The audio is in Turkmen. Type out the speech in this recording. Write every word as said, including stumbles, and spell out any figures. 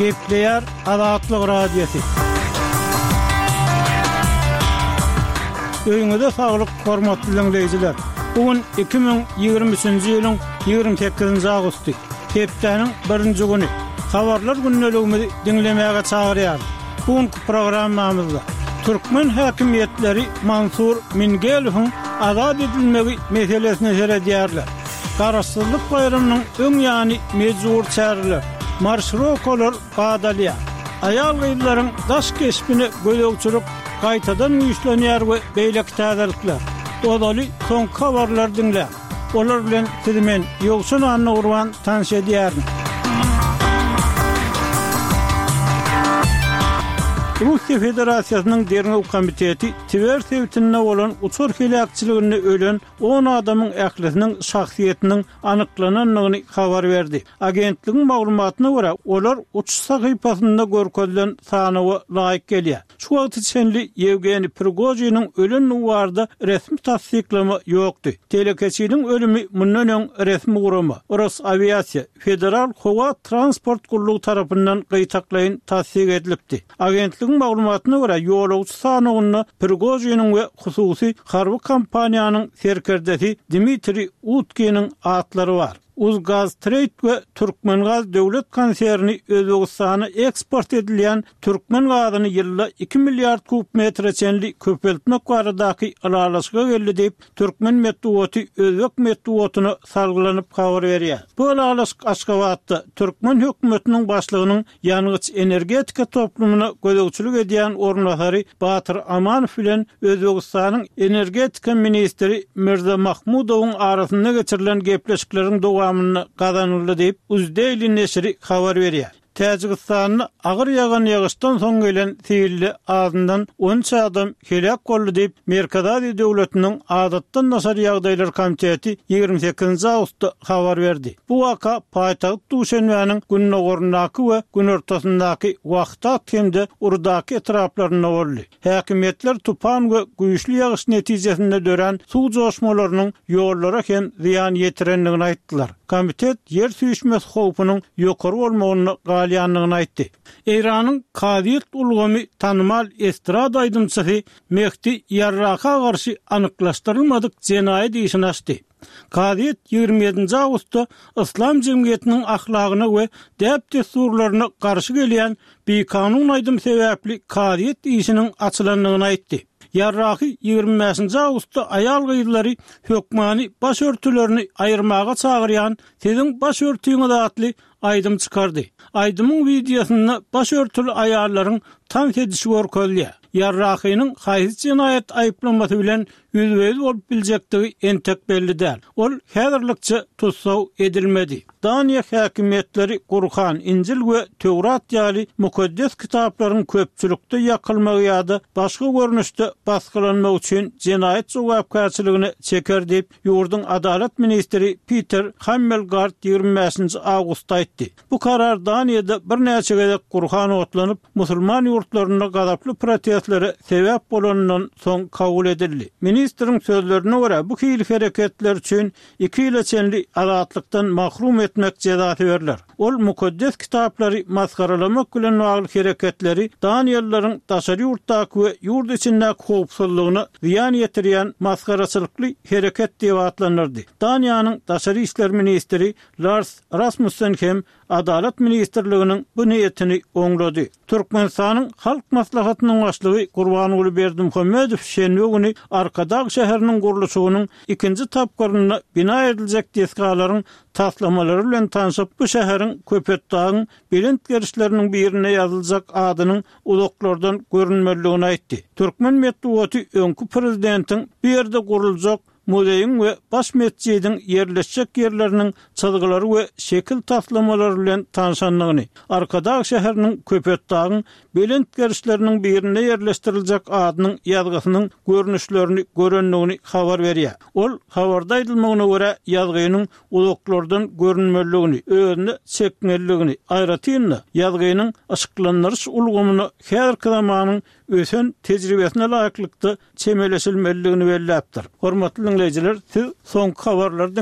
Gepleýär Azatlyk Radiosy. Öýüňize saglyk, hormatly diňleýjiler! Bu gün iki müň ýigrimi üçünji ýylyň ýigrimi sekizinji awgusty, hepdäniň birinji güni. Habarlar gündeligimizi diňlemäge çagyrýarys. Bu günki programmamyzda türkmen häkimiýetleri Mansur Mingelowyň azat edilmegi meselesine seredýärler. Garaşsyzlyk baýramynyň öň ýany mejbury çäreler, marşirokalar badalýar. Aýal-gyzlaryň daş keşbine gözegçilik gaýtadan güýçlenýär we beýleki täzelikler. Ozaly soňky habarlary diňläň. Olar bilen sizi men, Ýowşan Annagurban tanyş edýärin. Russiýa Federasiýasynyň Derňew komiteti Twer sebitinde bolan uçar heläkçiliginde ölen on adamyň ählisiniň şahsyýetiniň anyklanandygyny habar berdi. Agentligiň maglumatyna görä, olar uçuş sahypasynda görkezilen sanawa laýyk gelýär. Şu wagta çenli Ýewgeniý Prigožiniň ölendigi barada resmi tassyklama ýokdy. Telekeçiniň ölümi mundan öň resmi gurama, Rosawiasiýa federal howa transport gullugy tarapyndan gytaklaýyn tassyk edilipdi. Agentligiň maglumatyna görä, ýolagçy sanawynda Prigožiniň we hususy harby kompaniýanyň serkerdesi Dmitriý Utkiniň atlary bar. Uzgaztreýd we Türkmengaz döwlet konserni Özbegistana eksport edilýän türkmen gazyny ýylda iki milliard kub metre çenli köpeltmek baradaky ylalaşyga geldi diýip, türkmen metbugaty özbek metbugatyna salgylanyp habar berýär. Bu ylalaşyk Aşgabatda türkmen hökümetiniň başlygynyň ýangyç-energetika toplumyna gözegçilik edýän orunbasary Batyr Amanow bilen Özbegistanyň energetika ministri Mirza Mahmudowyň arasynda geçirilen gepleşikleriň dowamynda gazanyldy diýip, Uzdaily neşiri habar berýär. Täjigistanda agyr ýagan ýagyşdan soň gelen silde azyndan on üç adam heläk boldy diýip, Merkezi Aziýa döwletiniň Adatdan daşary ýagdaýlar komiteti ýigrimi sekizinji awgustda habar berdi. Bu waka paýtagt Duşenbäniň gündogaryndaky we günortasyndaky Wahdat hem-de Urdaky etraplarynda boldy. Häkimiýetler tupan we güýçli ýagyş netijesinde dörän suw joşmalarynyň ýollara hem zyýan ýetirendigini aýtdylar. Komitet ýer süýşmesi howpunyň ýokary bolmagynda galýandygyny aýtdy. Eýranyň kazyýet ulgamy tanymal estrada aýdymçysy Mehdi Ýarraka garşy anyklaşdyrylmadyk jenaýat işini açdy. Kazyýet ýigrimi ýedinji awgustda yslam jemgyýetiniň ahlagyna we däp-dessurlaryna garşy gelýän bikanun aýdym sebäpli kazyýet işiniň açylandygyny aýtdy. Ýarrahy ýigrimi bäşinji awgustda aýal-gyzlary hökmany baş örtülerini aýyrmaga çagyrýan Siziň baş örtüňiz atly aýdym çykardy. Aýdymyň wideosynda baş örtüli aýallaryň tans edişi görkezilýär. Ýarrahynyň haýsy jenaýat aýyplamasy bilen ýüzbe-ýüz bolup biljekdigi entek belli däl. Ol häzirlikçe tussag edilmedi. Daniýa häkimiýetleri Gurhan, Injil we Töwrat ýaly mukaddes kitaplaryň köpçülikde ýakylmagy ýa-da başga görnüşde basgylanmagy üçin jenaýat jogapkärçiligine çeker diýip, ýurduň adalat ministri Piter Hammelgard ýigrimi bäşinji awgustda aýtdy. Bu karar Daniýada birnäçe gezek Gurhan otlanyp, musulman ýurtlarynda gazaply protestlere sebäp bolanyndan soň kabul edildi. Ministriň sözlerine görä, bu hili hereketler üçin iki ýyla çenli azatlykdan mahrum etmek jezasy berler. Ol mukaddes kitaplary masgaralamak bilen bagly hereketleri daniýalylaryň daşary ýurtdaky we ýurt içindäki howpsuzlygyna zyýan ýetirýän masgaraçylykly hereket diýip atlandyrdy. Daniýanyň daşary işler ministri Lars Rasmussen hem Adalat ministrliginiň bu niýetini oňlady. Türkmenistanyň Halk Maslahatynyň Başlygy Gurbanguly Berdimuhamedow şenbe güni Arkadag şäheriniň gurluşygynyň ikinji tapgyrynda bina ediljek desgalaryň taslamalary bilen tanşyp, bu şäheriň Köpetdagyň belent gerişleriniň birinde ýazyljak adynyň uzaklardan görünmelidigini aýtdy. Türkmen metbugaty öňki prezidentiň bu ýerde guruljak muzeýiň we baş metjidiň ýerleşjek ýerleriniň çyzgylary we şekil taslamalary bilen tanşandygyny, Arkadag şäheriniň Köpetdagyň belent gerişleriniň birinde ýerleşdiriljek adynyň ýazgysynyň görnüşlerini görendigini habar berýär. Ol, habarda aýdylmagyna görä, ýazgynyň uzaklardan görünmelidigini, özüne çekmelidigini, aýratyn-da, ýazgynyň yşyklandyryş ulgamyna häzirki zamanyň ösen tejribesine laýyklykda çemeleşilmelidigini belläpdir. Hormatly diňleýjiler, siz soňky habarlary diňläp.